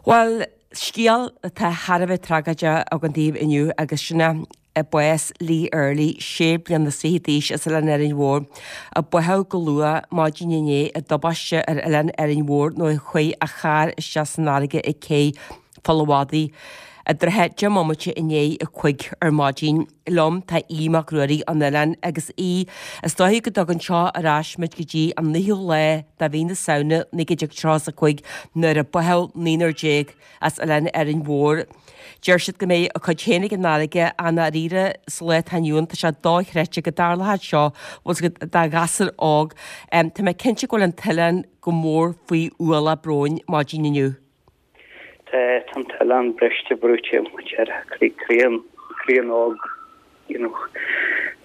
Bhuel, scéal atá thar a bheith tragóideach againn daoibh inniu agus sin é bás Lee Earley, sé bliana is fiche d'aois as Oileán Árainn Mhór, a báthadh go luath maidin inné i dtubaiste ar Oileán Árainn Mhór nuair a chuaigh a charr isteach san fharraige ag cé Pholl a' Mhadaidh i dtrátha 10 mbomaite i ndiaidh a 5 ar maidin. Liom tá Aodh Mac Ruairí ón oileán agus Aodh, is dóigh go dtugann seo ar ais muid go dtí an 9ú lá de mhí na Samhna 1935 nuair a báthadh naonúr as Oileán Árainn Mhór. Deir siad go mbeidh a cuid féin ag an fharraige ach i ndáiríre sa lá atá inniu ann tá sé dochreidte go dtarlódh seo bhfuil 's agat do ghasúr óg. Tá mé cinnte go bhfuil an t-oileán go mór faoi ualach bróin maidin inniu. Tá an t-oileán briste brúite mar a déarfá croíonn croíonn óg you know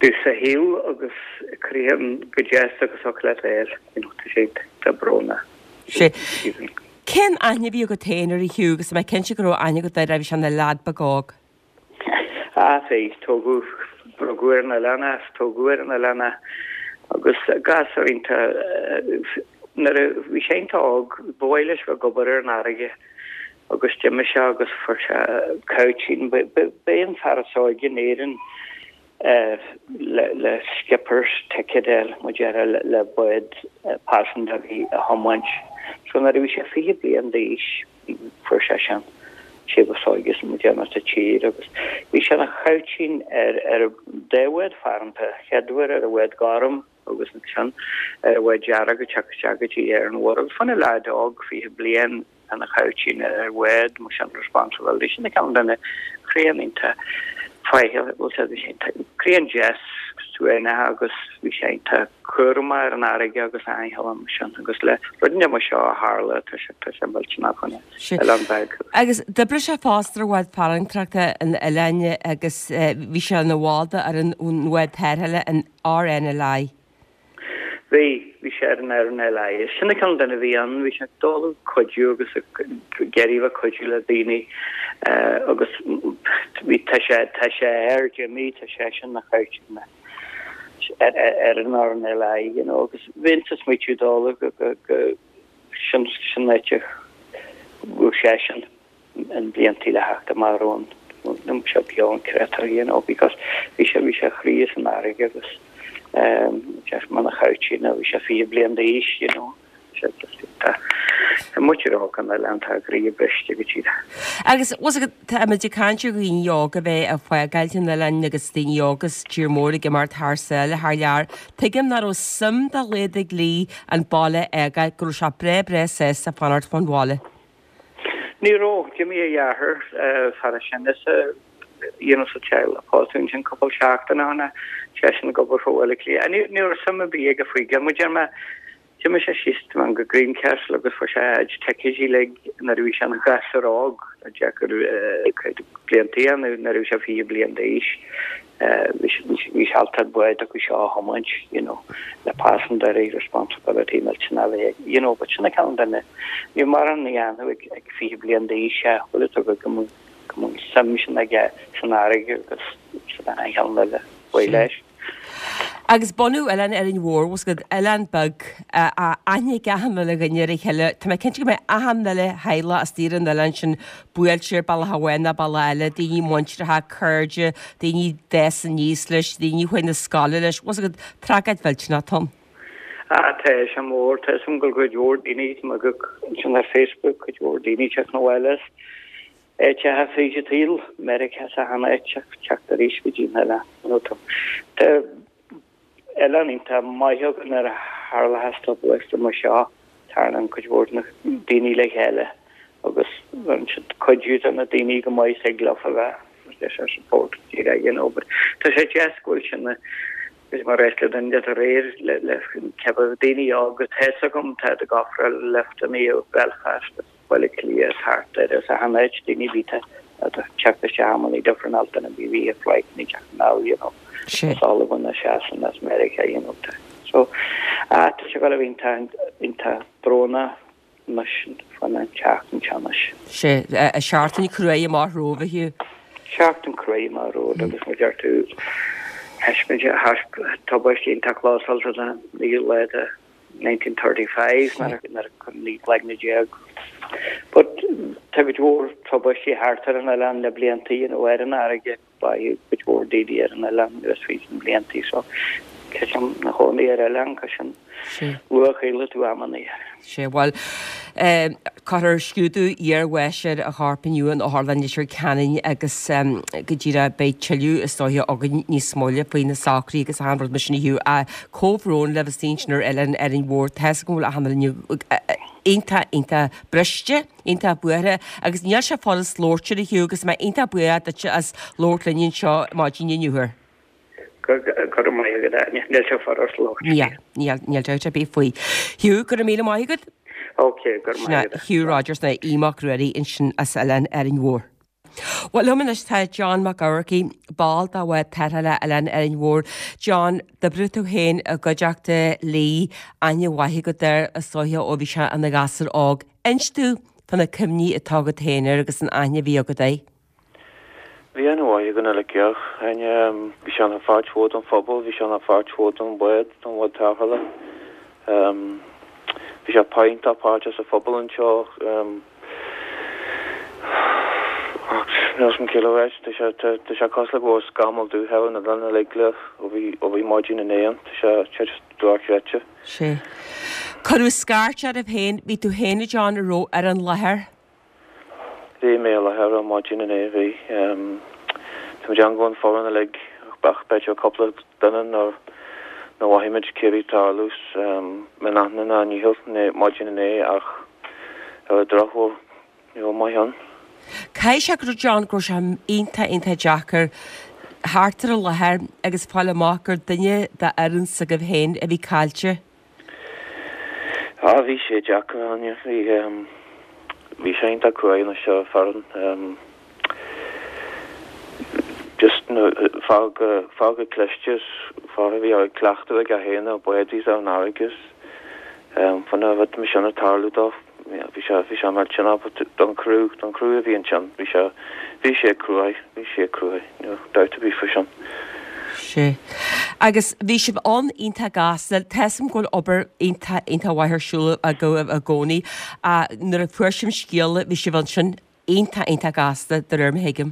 dtús a shaol agus croíonn go deas agus thiocfadh leat a fháil you know tá sé tá brón Sé. Cén aithne a bhí agat féin air a Hugh agus tá mé cinnte go raibh aithne agat air bhí sé ina leaid beag óg. Ah bhí, tógadh, rugadh ar an oileán é, tógadh ar an oileán é agus gasúr iontach, nuair a bhí sé iontach óg, ba mhaith leis bheith ag obair ar an fharraige agus d'imigh sé agus fuair sé cabhtín, b'é an fear is óige in Éirinn le le skipper's ticket a fháil, mar a déarfá, le bád paisinéirí a thiomáint. So nuair a bhí sé 20 bliain d'aois, fuair sé sin sé ba óige sa mar a déarfá sa tír agus bhí sé ina chabhaitín ar ar dá bhád farantacha, chéad uair ar an bhád gorm agus ansin ar an bhád dearg ag teacht isteach go dtí Árainn Mhór agus fá na leaid óg 20 bliain ina chabhaitín ar bhád mar sin responsibility sin an cineál duine croíonn iontach faichill bhfuil sé bhí sé iontach croíonn deas suaimhneach agus bhí sé iontach cúramach ar an fharraige agus aincheall mar sin agus le rud mar seo a tharla tá sé tá sé millteanach chun oileán beag. Agus d'oibrigh sé fosta ar bhád farantóireachta an oileáin agus bhí sé ina bhall de ar an bhád tarrthála an RNLI. Bhí, bhí sé ar an RNLI. Sin an cineál duine a bhí ann, bhí sé ag dul ag cuidiú agus ag iarraidh bheith ag cuidiú le daoine agus bhí, tá sé, tá sé ar Jimmy, tá seisean ina chabhaitín ar ar an RNLI, you know, agus bheinnse ag smaoitiú dul go, go, go, sin, sin áit a raibh seisean. an bliantaí le theacht amach romhainn nó seo beo an créatúr you know because bhí sé bhí sé a chroí san fharraige agus ehm just mar chabhaitín bhí sé 20 bliain d'aois you know sé just tá tá muintir óg an oileáin tá a gcroí briste go díreach. Agus bhfuil 's agat tá muid ag caint ar dhaoine óga a bheith ag fágáilt an oileáin agus daoine óga sa tír mór ag imeacht thar sáile thar lear. Tuigim nach raibh suim dá laghad ag Lee an baile a fhágáil, go raibh sé breá breá sásta fanacht fán bhaile. Ní raibh. D'imigh a dheartháir, fear is sine sa you know sa teaghlach, pósadh ansin cúpla seachtain ó shin, seisean ag obair fá Bhaile Átha Cliath. Ní ní raibh suim ar bith aige faoi go mar a deir mé, d'imigh sé síos go Greencastle agus fuair sé a chuid ticéidí uilig nuair a bhí sé ina ghasúr óg, deacair cuid bliantaí ann nuair a bhí sé 20 bliain d'aois. Bhí sé ábalta bád acu seo a thiomáint, you know, le passenger responsibility millteanach a bheith ag, you know, but sin an cineál duine, ní raibh mórán a dhéanamh ag ag 20 bliain d'aois é, bhfuil fhios agat go mbeadh go mbeadh suim sin aige san fharraige agus san aon cheann eile, ba leis. Agus bunú Oileán Árainn Mhór, bhfuil 's agat, oileán beag, aithne ag achan uile dhuine ar a chéile. Tá mé cinnte go mbeidh achan uile theaghlach istigh ar an oileán sin buailte ar bealach amháin nó bealach eile, daoine muinteartha, cairde, daoine a d'fhás aníos leis, daoine a chuaigh na scoile leis, bhfuil 's agat, tragóid mhillteanach atá ann. Ah, tá sé mór, tá 'fhios agam go bhfuil cuid mhór daoine, tá mé ag ansin ar Facebook, cuid mhór daoine ag teacht 'na bhaile as áiteacha fríd an tsaol, Meiriceá is achan áit, teacht arís go dtí an oileán. You know, tá tá oileán iontach maith againn nuair a tharlaíonn tubaiste mar seo, tagann cuid mhór de na daoine le chéile agus bheireann siad cuidiú do na daoine go maith thig leo a bheith leis ar support díreach, you know, but tá sé deas go bhfuil sin is mar réit le duine de réir le le ceapadh daoine óga tá 'fhios agam tá ag ofráil lifteanna ó Belfast Baile Átha Cliath is thart air is achan áit daoine bhí tá ag teacht isteach amannaí difreáilte na bhí bhí ag flight ní teacht anall you know as Albain as Sasana as Meiriceá you know tá so ah tá sé go bhí tá iontach brónach anois fan an tseachtain seo anois. Sé seachtain cruaidh amach romhaibh a Hugh. Seachtain cruaidh amach romhat agus mar deir tú thaispeáin sé tubaiste iontach clósáilte den naoú lá de 1935 nuair a 19 cloigne. But tá cuid mhór tubaistí thart ar an oileán le blianta, you know, ar an fharraige, báitheadh cuid mhór daoine ar an oileán anuas fríd na blianta so creidim ina chónaí ar oileán, creidim luath-chailleann tú amannaí. Sea, bhuel, cuirfear scrúdú iarbháis ar a chorp inniu in Otharlann Leitir Ceanainn agus go díreach beidh tuilleadh is dóiche againn níos moille faoi na socruithe agus achan rud mar sin a Hugh. Comhbhrón libh istigh ansin ar Oileán Árainn Mhór. Tá's agam go bhfuil achan duine iontach, iontach briste, iontach buartha agus níl sé furast labhairt air a Hugh agus mé iontach buíoch duitse as labhairt linn anseo maidin inniu air. Go raibh maith agat, Áine. Níl sé furast labhairt faoi. Níl, níl, níl dabht ar bith faoi. Hugh, go raibh míle maith agat. Ok, go raibh maith agat. Hugh Rogers nó Aodh Mac Ruairí ansin as Oileán Árainn Mhór. Bhuel, liom anois tá John Mac Eamharcaigh, ball de Bhád Tarrthála Oileán Árainn Mhór. John, d'oibrigh tú féin i gcuideachta Lee, aithne mhaith agat air is dóiche ó bhí sé ina ghasúr óg. Inis domh fá na cuimhní atá agat féin air agus an aithne a bhí agat air. Bhí aithne mhaith againn uilig air. Aithne, bhí sé ina pháirt mhór den phobal, bhí sé ina pháirt mhór den bhád, den bhád tarrthála. Bhí sé iontach páirteach sa phobal anseo. Ach níl 'fhios a'm cé le ráit, tá sé, tá sé cosúil le go bhfuil scamall dubh ar an oileán uilig le ó bhí, ó bhí maidin inné ann. Tá sé, tá sé just dochreidte. Sea. Cuireadh scairt oraibh féin, bhí tú féin, a John, a raibh ar an láthair. Bhí mé i láthair ar maidin inné, bhí. Tá muid ann go an foireann uilig ach b'fhéidir cúpla duine nár nár mhothaigh muid cé a bhí ag tarlú in aithne ná nícheall maidin inné ach ar an drochuair ní raibh maith ann. Caithfidh sé go raibh John go raibh sé iontach iontach deacair theacht ar an láthair agus fáil amach gur duine d'fhoireann s'agaibh féin a bhí caillte. Ah, bhí sé deacair, Áine. Bhí, bhí sé iontach cruaidh anois ar an foireann. Just, fear go, fear go cliste is fear a bhí ag cleachtadh aige féin ar bádaí ar an fharraige is fá na rud mar sin ag tarlú dó. Bhí sé, bhí sé millteanach but don chriú, don chriú a bhí ansin, bhí sé, bhí sé cruaidh, bhí sé cruaidh, níl dabht ar bith faoi sin. Sea. Agus bhí sibh ann iontach gasta, tá 'fhios a'm go bhfuil obair iontach, iontach mhaith ar siúl agaibh i gcónaí ach nuair a fuair sibh an scéala bhí sibh ansin iontach, iontach gasta de réir mar a thuigim.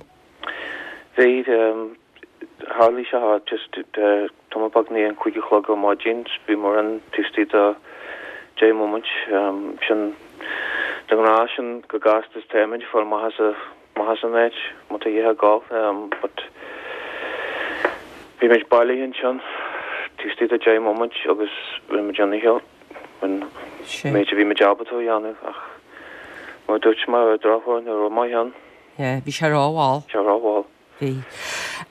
Bhí, tharlaigh sé just tamall beag i ndiaidh an 5 a chlog ar maidin, bhí muid ann taobh istigh de 10 móimint, sin de ghnáth sin chomh gasta is táimid ag fáil amach as amach as an áit má tá a dhath ag gabháil but bhí muid bailithe ansin taobh istigh de 10 móimint agus rinne muid ár ndícheall. an méid a bhí muid ábalta a dhéanamh ach mar a dúirt mé ar an drochuair ní raibh maith ann. Yeah, bhí sé rómhall. Sé rómhall. Bhí.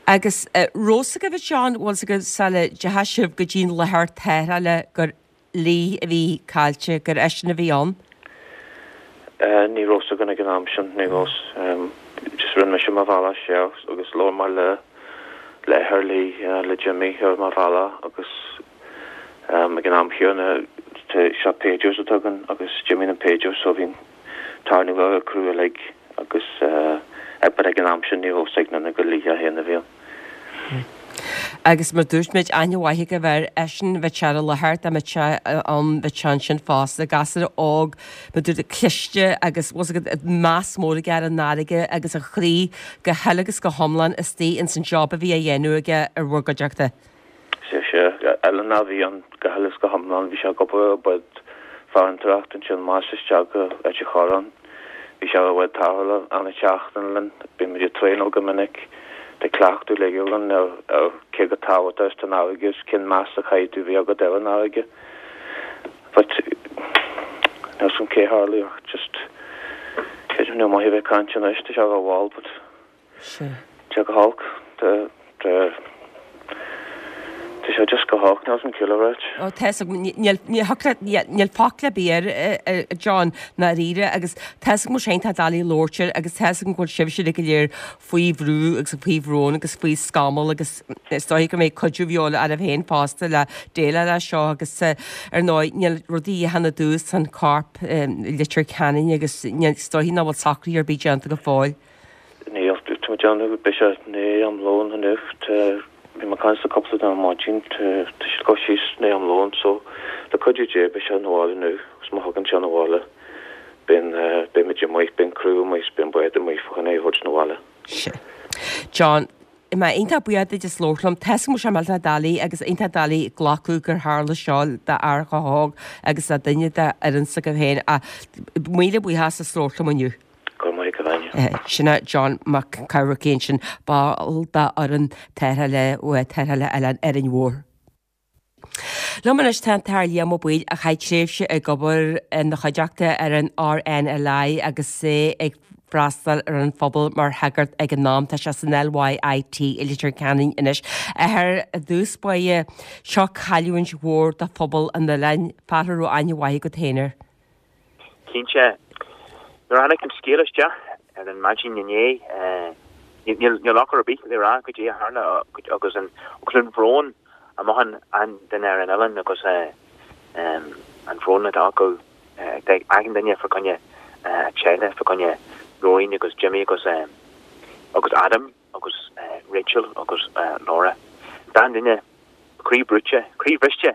Agus raibh 'fhios agaibh a John, bhfuil 'fhios agaibh sula dteachaigh sibh go dtí an láthair tarrthála gur Lee a bhí caillte, gur eisean a bhí ann? Ní raibh 'fhios againn ag an am sin, ní raibh. Just rinne mise mo bhealach siar agus labhair mé le le athair Lee, le Jimmy ar mo bhealach agus Ag an am chéanna, tá pagers atá againn agus d'imigh an pager so bhí an tarna ar an criú uilig agus but ag an am sin ní raibh 'fhios ag aon duine gur Lee é féin a bhí ann. Agus mar dúirt muid, aithne mhaith agaibh air, eisean, bheadh sé ar an láthair, dá mbeadh sé ann, bheadh sé ansin fosta, gasúr óg, mar dúirt, cliste agus bhfuil 'fhios agat, meas mór aige ar an fharraige agus a chroí go huile agus go hiomlán istigh ins an job a bhí á dhéanamh aige ar bhur gcuideachta. Sea, sea. Oileánach a bhí ann go huile is go hiomlán. Bhí sé ag obair ar bhád farantóireachta ansin amach is isteach go Ailt an Chorráin. Bhí sé ar an bhád tarrthála achan tseachtain linn. Bhí muid ag traenáil go minic. Tá cleachtadh uilig againn ar ar cé chomh tábhachtach is atá an fharraige is cén meas a chaithfidh tú bheith agat ar an fharraige. But níl 's agam cé tharlaigh ach just creidim níl maith a bheith ag caint anois, tá sé rómhall but Sea. Tá sé go holc. Tá, tá, tá sé just go holc, níl 's agam cé le ráit. Ó, tá 'fhios agam, níl, níl thiocfadh leat, níl focal ar bith air, a John, ndáiríre, agus tá 'fhios agam go bhfuil sé iontach doiligh labhairt air agus tá 'fhios agam go bhfuil sibhse uilig go léir faoi bhrú agus faoi bhrón agus faoi scamall agus is dóigh go mbeidh cuidiú de dhíobháil oraibh féin fosta le déileáil leis seo agus ar ndóigh níl rudaí a dhéanamh dús an corp i Leitir Ceanainn agus níl, is dóigh nach bhfuil socruithe ar bith déanta go fóill. Níl, tá mé ag déanamh, beidh sé i ndiaidh am lóin inniu, tá, bhí mé ag caint le cúpla duine ar maidin, tá, tá siad ag dul síos i ndiaidh am lóin so le cuidiú Dé beidh sé 'na bhaile inniu agus má thagann sé 'na bhaile beidh, beidh muid amuigh. is beidh an bád amuigh fá choinne é a thabhairt 'na bhaile. Sea. John, Tá mé iontach buíoch duit as labhairt liom. Tá a fhios agam go bhfuil sé millteanach doiligh agus iontach doiligh glacadh gur tharla seo d'fhear chomh hóg agus le duine d'fhoireann s'agaibh féin ach míle buíochas as labhairt liom inniu. Go raibh maith agat, a Áine. Sin é John Mac Cárthaigh ansin, ball d'fhoireann tarrthála tarrthála Oileán Árainn Mhór. Liom anois tá an tAthair Liam Ó Baoill a chaith tréimhse ag obair ina chuideachta ar an RNLI agus é ag freastal ar an phobal mar shagart ag an am. Tá sé san LYIT i Leitir Ceanainn anois. Athair, i dtús báire, seo cailliúint mhór do phobal an oileáin, fear a raibh aithne mhaith agat féin air. Cinnte. Nuair a tháinig an scéal isteach ar an maidin inné, níl focal ar bith le rá goidé a tharla agus an agus an bhrón a mhothaíonn achan duine ar an oileán agus an bhrón atá acu ag achan duine fá choinne a teaghlach, fá choinne Nóirín agus Jimmy agus agus Adam agus Rachel agus Laura. Tá achan duine croí brúite, croí bhriste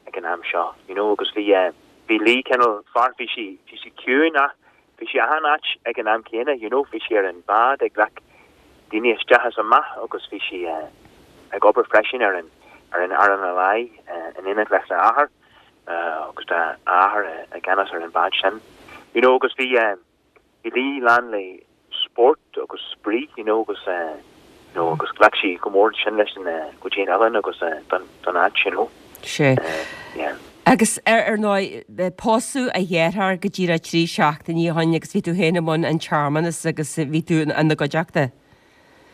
ag an am seo, you know, agus bhí, bhí Lee cineál fear, bhí sí, bhí sí ciúin ach bhí sí achan áit ag an am céanna, you know, bhí sí ar an bhád ag glac daoine isteach is amach agus bhí sí ag obair freisin ar an, ar an RNLI in éineacht leis a athair agus tá a athair i gceannas ar an bhád sin, you know, agus bhí, Bhí Lee lán le spórt agus spraoi you know agus you know agus ghlac sí go mór sin leis an go dtí an oileán agus don don áit you know. Sea. Yeah. Agus ar ar ndóigh pósadh a dheartháir go díreach 3 seachtainí ó shin agus bhí tú féin i mbun an tsearmanas agus bhí tú ina gcuideachta.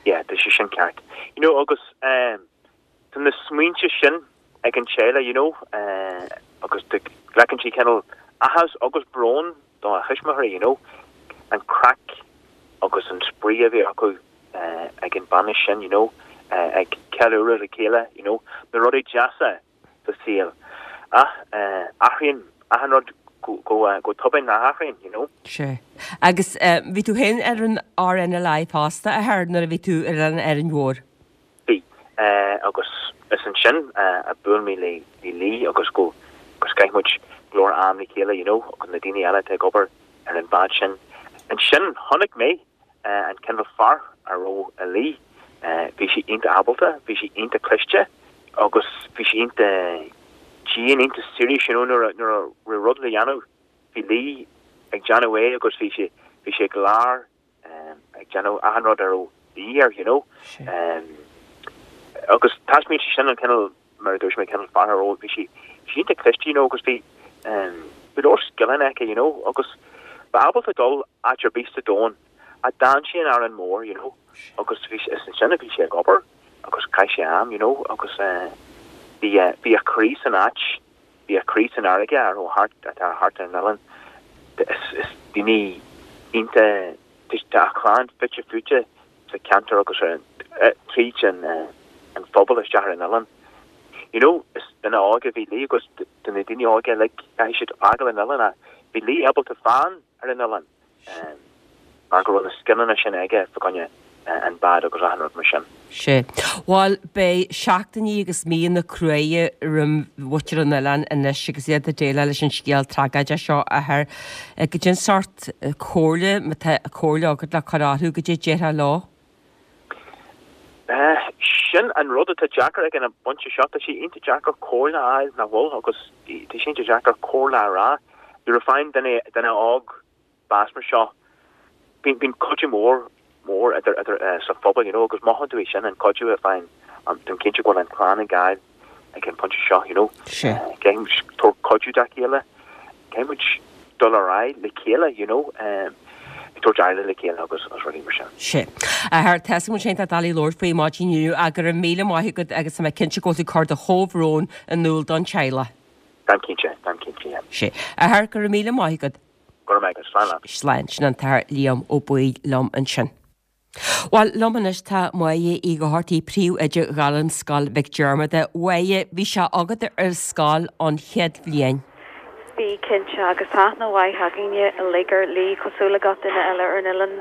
Yeah, tá sé sin ceart. You know agus eh Tá na smaointe sin ag an teaghlach you know agus glacann sí cineál áthas agus brón do a thuismitheoirí you know an craic agus an spraoi a bhí acu ag an bainis sin you know ag ceiliúradh le chéile you know na rudaí deasa sa saol ach athraíonn achan rud go tobann nach athraíonn you know. Sea. Agus bhí tú féin ar an RNLI fosta, a Athair, nuair a bhí tú ar Oileán Árainn Mhór? Bhí. Agus is ansin a bhuail mé le Lee agus go agus chaith muid go leor am le chéile you know agus na daoine eile atá ag obair ar an bhád sin. Ansin chonaic mé an cineál fear a raibh i Lee. Bhí sí iontach ábalta, bhí sí iontach cliste agus bhí sí iontach dian, iontach serious you know nuair a nuair a raibh rud le dhéanamh bhí Lee ag déanamh é agus bhí sé bhí sé ag lár ag déanamh achan rud a raibh de dhíth air, you know. Agus taispeáin sí sin an cineál, mar a dúirt mé, cineál fear a raibh, bhí sí, bhí sí iontach cliste, you know, agus bhí, bhí leor scileanna aici, you know, agus ba ábalta dul áit ar bith sa domhan ach d'fhan sí in Árainn Mhór, you know, agus bhí, is ansin a bhí sí ag obair agus chaith sí am, you know, agus bhí, bhí a croí san áit, bhí a croí san fharraige a raibh thart, atá thart ar an oileán. Is daoine iontach, tá a chlann fite fuaite sa cheantar agus ar an, tríd an an phobal isteach ar an oileán. You know, is duine óg a bhí Lee agus do na daoine óga uilig, caithfidh siad fágáil an oileán ach bhí Lee ábalta fán ar an oileán. mar go raibh na scileanna sin aige fá choinne an bád agus achan rud mar sin. Sea. Bhuel, beidh seachtainí agus míonna cruaidhe roim mhuintir an oileáin anois agus iad ag déileáil leis an scéal tragóideach seo, a Athair. Goidé an sórt comhairle, má tá comhairle agat le cur orthu, goidé a déarfá leo? Sin an rud atá deacair ag an bpointe seo, tá sé iontach deacair comhairle a fháil, nach bhfuil? Agus tá sé iontach deacair comhairle a rá. Nuair a faigheann duine, duine óg bás mar seo, bíonn, bíonn cuidiú mór, mór idir, idir, sa phobal, you know, agus mothaíonn tú é sin, an cuidiú a faigheann, táim cinnte go bhfuil an chlann ag fáil ag an bpointe seo, you know. Caithfidh muid tabhairt cuidiú dá chéile, caithfidh muid dul ar aghaidh le chéile, you know, ag tabhairt aire le chéile agus rudaí mar sin. Sea. A Athair, tá a fhios agam go bhfuil sé iontach doiligh labhairt faoi maidin inniu ach go raibh míle maith agat agus tá mé cinnte go bhfuil tú ag cur do chomhbhrón in iúl don teaghlach. Táim cinnte, táim cinnte, yeah. Sea. A Athair, go raibh míle maith agat. Go raibh maith agat. Slán leat. Slán. Sin an tAthair Liam Ó Baoill liom ansin. Bhuel, liom anois tá Máire Uí Dhochartaigh, Príomhoide Ghairmscoil Mhic Diarmada. Máire, bhí sé agat ar scoil ón chéad bhliain. Bhí, cinnte, agus tá aithne mhaith againne uilig ar Lee, cosúil le gach duine eile ar an oileán,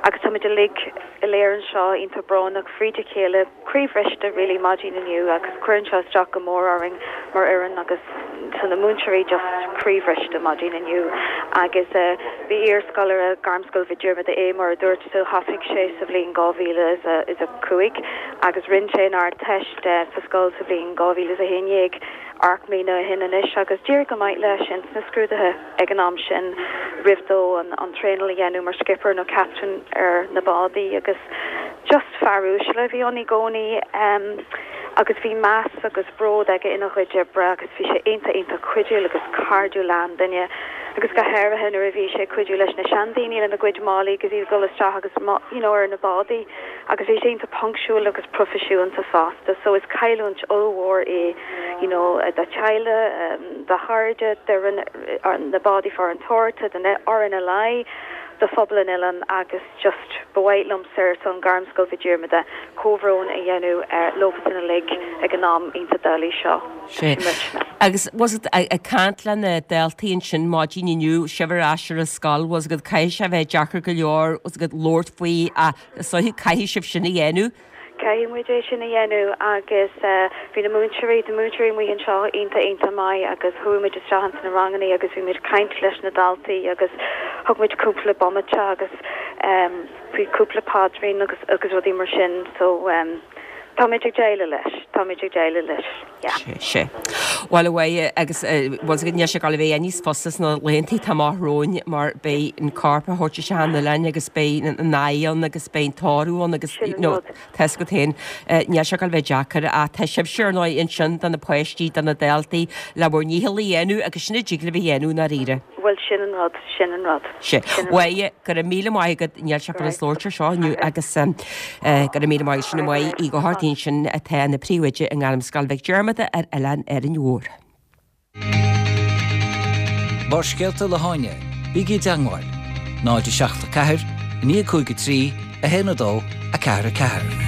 agus táimid uilig go léir anseo iontach brónach fríd a chéile, croíbhriste really maidin inniu agus cuireann seo isteach go mór orainn mar fhoireann agus tá na múinteoirí just croíbhriste maidin inniu agus bhí iarscoláire Gairmscoil Mhic Diarmada é mar a dúirt tú, thosaigh sé sa bhliain 2005 agus rinne sé an Ardteist sa scoil sa bhliain 2011. 8 mbliana ó shin anois agus d'éirigh go maith leis ins na scrúduithe ag an am sin roimh dó an traenáil a dhéanamh mar skipper nó captain ar na bádaí agus just fear uaisle a bhí ann i gcónaí agus bhí meas agus bród aige ina chuid oibre agus bhí sé iontach iontach cuidiúil agus cairdiúil le achan duine agus go háirithe nuair a bhí sé ag cuidiú leis na seandaoine lena gcuid málaí agus iad ag dul isteach agus you know ar na bádaí. Agus bhí sé iontach punctual agus proifisiúnta fosta so is cailliúint ollmhór é you know dá teaghlach, dá chairde, d'fhoireann na bádaí farantóireachta, don RNLI, do phobal an oileáin agus just ba mhaith liomsa ar son Gairmscoil Mhic Diarmada comhbhrón a dhéanamh leofasan uilig ag an am iontach doiligh seo. Sea. Agus was it ag caint le na daltaí ansin maidin inniu, sibh ar ais ar an scoil, was it caithfidh sé a bheith deacair go leor, was it labhairt faoi ach Is dóiche, caithfidh sibh sin a dhéanamh. Caithfidh muid é sin a dhéanamh agus bhí na múinteoirí, na múinteoirí amuigh anseo iontach, iontach maith agus chuaigh muid isteach ins na rangannaí agus bhí muid ag caint leis na daltaí agus thug muid cúpla bomaite agus bhí cúpla paidrín agus, agus rudaí mar sin so táimid ag déileáil leis, táimid ag déileáil leis. Yeah. Sea, sea. Bhuel, a Mháire, agus bhfuil fhios agat, níl sé ag dul a bheith níos fusa sna laethantaí atá amach romhainn mar beidh an corp á thabhairt isteach an oileáin agus beidh an adh ann agus beidh an tórramh ann agus Sin an rud. tá fhios agat féin, níl sé ag dul a bheith deacair ach tá sibhse ar ndóigh ansin do na páistí, do na daltaí le bhur ndícheall a dhéanamh agus sin a dtig libh a dhéanamh i ndáiríre. Bhuel, sin an rud, sin an rud. Sea. Mháire, go raibh míle maith agat, níl sé fada labhairt ar seo inniu agus go raibh míle maith agat, sin í Máire Uí Dhochartaigh ansin atá ina príomhoide i nGairmscoil Mhic Diarmada ar Oileán Árainn Mhór. Barrscéalta le hÁine, bígí i dteangmháil, 0 7 4 9 5 3 1 2 4 4.